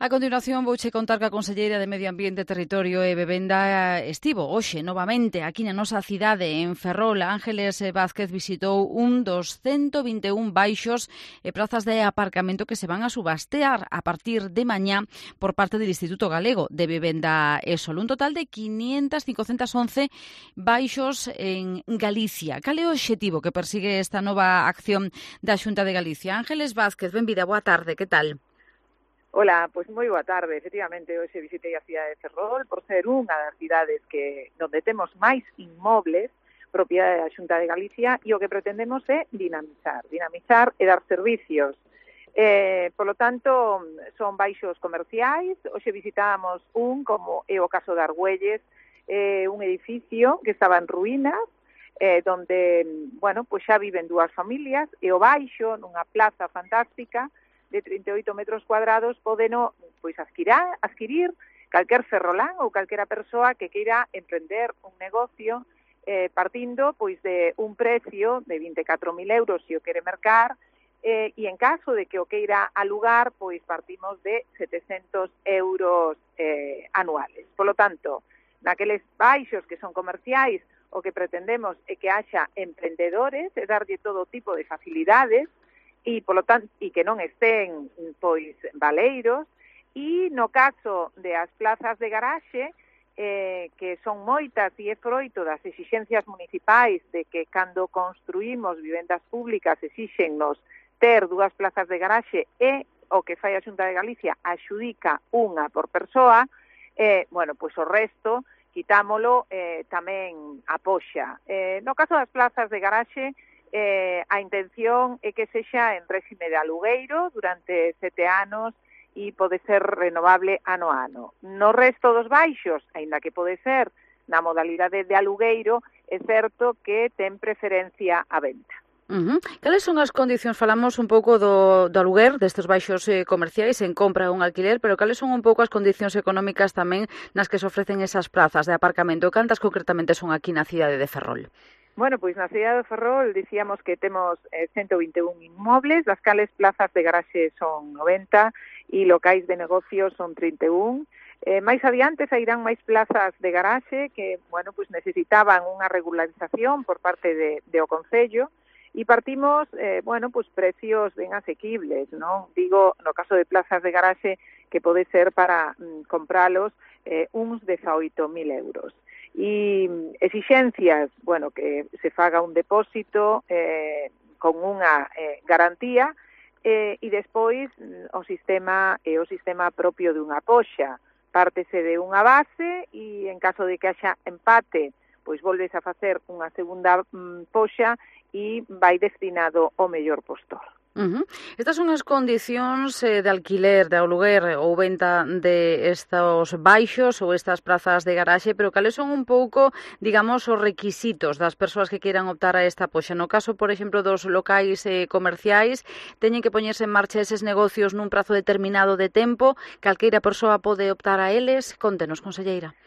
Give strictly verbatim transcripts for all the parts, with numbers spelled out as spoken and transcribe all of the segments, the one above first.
A continuación vouche contar que a conselleira de Medio Ambiente, Territorio e Vivenda estivo hoxe novamente aquí na nosa cidade en Ferrol. Ángeles Vázquez visitou un dos ciento vinte e un baixos e prazas de aparcamento que se van a subastear a partir de mañá por parte do Instituto Galego de Vivenda e Sol. Un total de quinientos, quinhentos once baixos en Galicia. Cal é o obxectivo que persigue esta nova acción da Xunta de Galicia? Ángeles Vázquez, benvida, boa tarde, que tal? Ola, pois moi boa tarde. Efectivamente, hoxe visitei a cidade de Ferrol por ser unha das cidades que onde temos máis inmobles propiedade da Xunta de Galicia e o que pretendemos é dinamizar, dinamizar e dar servicios. Eh, por lo tanto, son baixos comerciais. Hoxe visitábamos un, como é o caso de Argüelles, eh, un edificio que estaba en ruínas, eh, donde, bueno, pues xa viven dúas familias, e o baixo, nunha plaza fantástica, de trinta e oito metros cuadrados, podeno pois adquirir, adquirir calquer ferrolán ou calquera persoa que queira emprender un negocio eh, partindo pois de un precio de vinte e catro mil euros se o quere mercar, eh, e en caso de que o queira alugar, pois partimos de setecentos euros eh, anuales. Por lo tanto, naqueles baixos que son comerciais, o que pretendemos é que haxa emprendedores e darlle todo tipo de facilidades, e polo tanto e que non estén pois baleiros, e no caso de as plazas de garaxe, eh, que son moitas e é froito das exixencias municipais de que cando construímos vivendas públicas exíxennos ter dúas plazas de garaxe e o que fai a Xunta de Galicia axudica unha por persoa, eh, bueno, pois o resto quitámolo eh, tamén a poxa. Eh, no caso das plazas de garaxe, Eh, a intención é que sexa en réxime de alugueiro durante sete anos e pode ser renovable ano a ano. No resto dos baixos, aínda que pode ser na modalidade de alugueiro, é certo que ten preferencia a venta. Uh-huh. Cales son as condicións? Falamos un pouco do, do aluguer destes baixos eh, comerciais en compra ou un alquiler, pero cales son un pouco as condicións económicas tamén nas que se ofrecen esas plazas de aparcamento? Cantas concretamente son aquí na cidade de Ferrol? Bueno, pois na cidade de Ferrol dicíamos que temos eh, ciento vinte e un inmobles, das cales plazas de garaxe son noventa e locais de negocio son trinta e un. Eh, máis adiante sairán máis plazas de garaxe que, bueno, pois necesitaban unha regularización por parte de, de o Concello e partimos, eh, bueno, pois precios ben asequibles, non? Digo, no caso de plazas de garaxe que pode ser para mm, compralos eh, uns dezaoito mil euros. E exixencias, bueno, que se faga un depósito eh, con unha eh, garantía eh, e despois o sistema é o sistema propio dunha poxa. Pártese de unha base e en caso de que haxa empate, pois volves a facer unha segunda mm, poxa e vai destinado ao mellor postor. Uh-huh. Estas son as condicións eh, de alquiler, de aluguer ou venta de estos baixos ou estas plazas de garaxe, pero cales son un pouco, digamos, os requisitos das persoas que queiran optar a esta poxa? No caso, por exemplo, dos locais eh, comerciais, teñen que poñerse en marcha eses negocios nun prazo determinado de tempo, calqueira persoa pode optar a eles? Contenos, conselleira.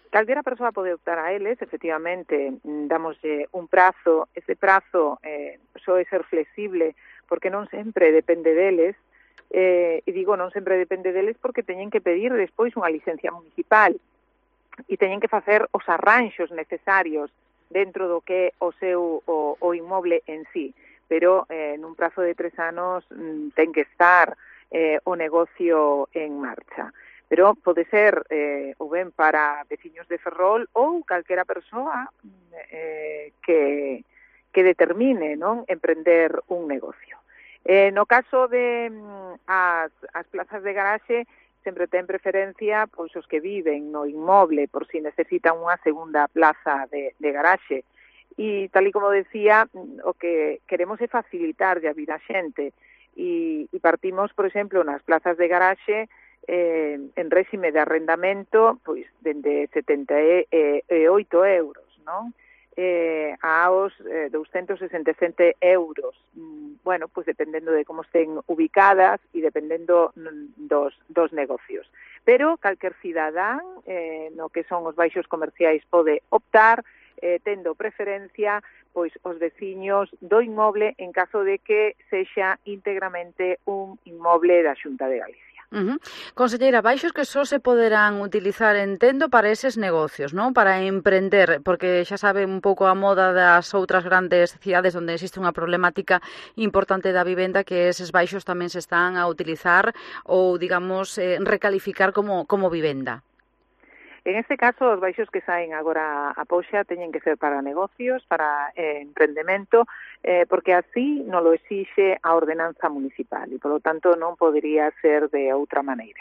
Calquera persoa pode optar a eles, efectivamente, damoslle un prazo, ese prazo eh, soe ser flexible, porque non sempre depende deles, eh, e digo non sempre depende deles porque teñen que pedir despois unha licencia municipal e teñen que facer os arranxos necesarios dentro do que é o seu o, o inmoble en sí, pero eh, nun prazo de tres anos mm, ten que estar eh, o negocio en marcha. Pero pode ser eh, ou ben para veciños de Ferrol ou calquera persoa eh, que, que determine, non, emprender un negocio. Eh, no caso de mm, as, as plazas de garaxe, sempre ten preferencia pois os que viven no inmoble por si necesitan unha segunda plaza de, de garaxe. E tal e como decía, o que queremos é facilitar a vida a xente e, e partimos, por exemplo, nas plazas de garaxe eh, en réxime de arrendamento pois dende setenta e oito euros, non? Eh, aos eh, douscentos sesenta e sete euros. Mm, bueno, pois dependendo de como estén ubicadas e dependendo mm, dos, dos negocios. Pero calquer cidadán, eh, no que son os baixos comerciais, pode optar, eh, tendo preferencia pois os veciños do inmoble en caso de que sexa íntegramente un inmoble da Xunta de Galicia. Uh-huh. Conselleira, baixos que só se poderán utilizar, entendo, para eses negocios, non? Para emprender, porque xa sabe un pouco a moda das outras grandes cidades onde existe unha problemática importante da vivenda, que eses baixos tamén se están a utilizar ou, digamos, eh, recalificar como, como vivenda. En este caso, os baixos que saen agora a poxa teñen que ser para negocios, para eh, emprendemento, eh, porque así non lo exixe a ordenanza municipal e, polo tanto, non podería ser de outra maneira.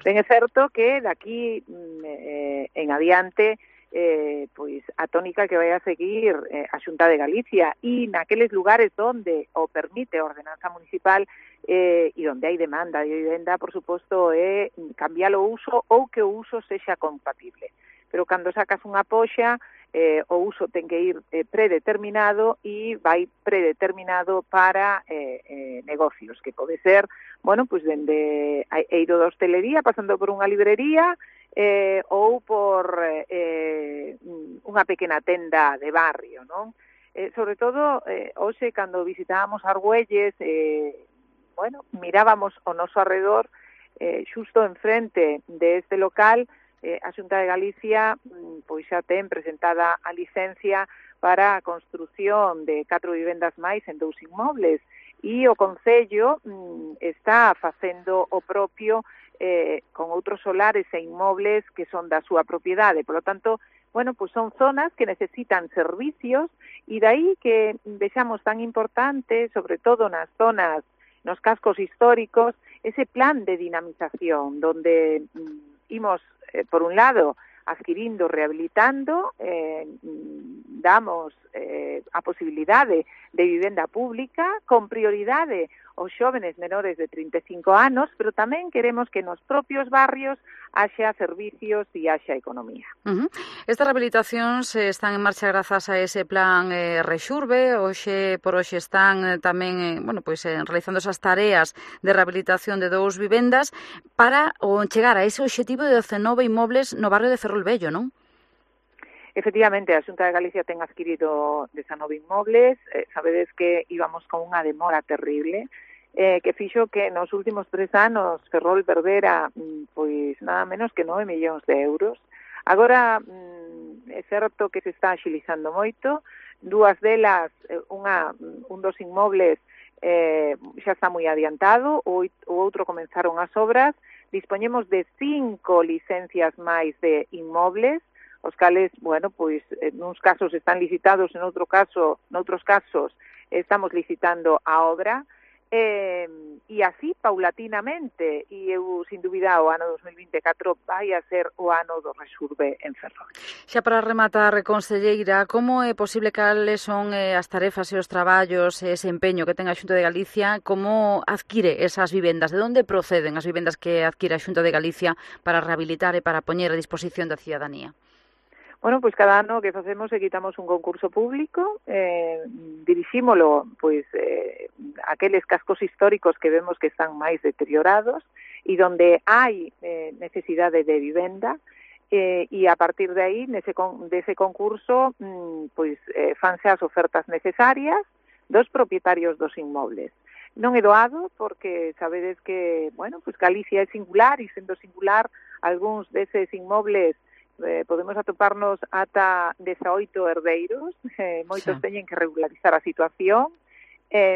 Ben, é certo que daqui eh, en adiante eh, pois a tónica que vai a seguir eh, a Xunta de Galicia e naqueles lugares onde o permite a ordenanza municipal eh, e onde hai demanda de vivenda, por suposto, é cambiar o uso ou que o uso sexa compatible. Pero cando sacas unha poxa, eh, o uso ten que ir eh, predeterminado e vai predeterminado para eh, eh, negocios, que pode ser, bueno, pois dende a eiro da hostelería, pasando por unha librería, eh, ou por eh, unha pequena tenda de barrio, non? Eh, sobre todo, eh, hoxe, cando visitábamos Argüelles, eh, bueno, mirábamos ao noso arredor, eh, xusto enfrente de este local, eh, a Xunta de Galicia pois xa ten presentada a licencia para a construción de catro vivendas máis en dous inmobles e o Concello mm, está facendo o propio eh, con outros solares e inmobles que son da súa propiedade. Por lo tanto, bueno, pues son zonas que necesitan servicios e dai que vexamos tan importante, sobre todo nas zonas, nos cascos históricos, ese plan de dinamización, donde mm, imos, eh, por un lado, adquirindo, rehabilitando, eh, damos eh, a posibilidade de vivenda pública con prioridade aos xóvenes menores de trinta e cinco anos, pero tamén queremos que nos propios barrios haxa servicios e haxa economía. Uh-huh. Estas rehabilitacións eh, están en marcha grazas a ese plan eh, Rexurbe, hoxe por hoxe están eh, tamén eh, bueno, pois, eh, realizando esas tareas de rehabilitación de dous vivendas para o, chegar a ese obxectivo de dezenove inmobles no barrio de Ferrol Vello, non? Efectivamente, a Xunta de Galicia ten adquirido dezenove inmobles, eh, sabedes que íbamos con unha demora terrible, eh, que fixo que nos últimos tres anos Ferrol perdera pois nada menos que nove millóns de euros. Agora mm, é certo que se está axilizando moito, dúas delas, unha, un dos inmobles eh, xa está moi adiantado, o, o outro comenzaron as obras, dispoñemos de cinco licencias máis de inmobles, os cales, bueno, pois, en uns casos están licitados, en outro caso, noutros casos, estamos licitando a obra, eh, e así, paulatinamente, e eu, sin dúbida, o ano dos mil vinte e catro vai a ser o ano do Rexurbe en Ferrol. Xa para rematar, conselleira, como é posible, cales son eh, as tarefas e os traballos e ese empeño que ten a Xunta de Galicia, como adquire esas vivendas, de onde proceden as vivendas que adquire a Xunta de Galicia para rehabilitar e para poñer a disposición da cidadanía? Bueno, pois cada ano que facemos é quitamos un concurso público, eh, dirixímolo pois eh, aqueles cascos históricos que vemos que están máis deteriorados e donde hai eh, necesidade de vivenda, eh, e a partir de aí, nese con, dese concurso, mm, pois eh, fanse as ofertas necesarias dos propietarios dos inmobles. Non é doado porque sabedes que, bueno, pois Galicia é singular e sendo singular, algúns deses inmobles Eh, podemos atoparnos ata dezaoito herdeiros, eh, moitos sí. teñen que regularizar a situación. Eh,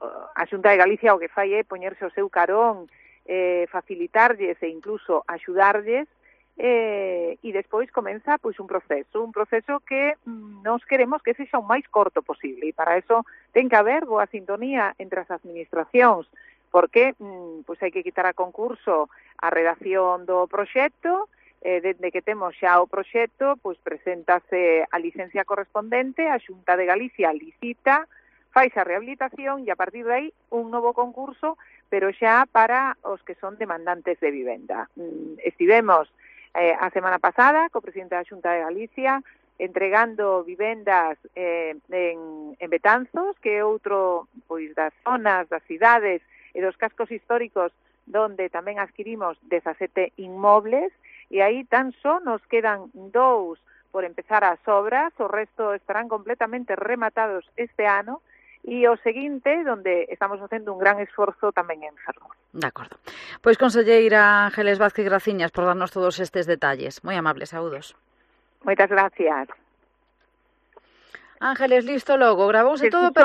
a Xunta de Galicia o que fai é poñerse o seu carón, eh, facilitarlles e incluso axudarlles, eh, e despois comeza pois un proceso, un proceso que mm, nos queremos que sexa o máis corto posible, e para eso ten que haber boa sintonía entre as administracións, porque mm, pois hai que quitar a concurso a redacción do proxecto. Eh, desde que temos xa o proxecto, pois preséntase a licencia correspondente, a Xunta de Galicia licita, faise a rehabilitación e a partir de aí un novo concurso, pero xa para os que son demandantes de vivenda. Mm, estivemos eh, a semana pasada co presidente da Xunta de Galicia entregando vivendas eh, en, en Betanzos, que é outro pois das zonas, das cidades e dos cascos históricos donde tamén adquirimos dezasete inmobles, e aí tan só nos quedan dous por empezar as obras, o resto estarán completamente rematados este ano, e o seguinte, donde estamos facendo un gran esforzo tamén en Ferrol. De acordo. Pois, conselleira Ángeles Vázquez Graciñas, por darnos todos estes detalles. Moi amables, saúdos. Moitas gracias. Ángeles, listo logo, gravouse todo perfecto.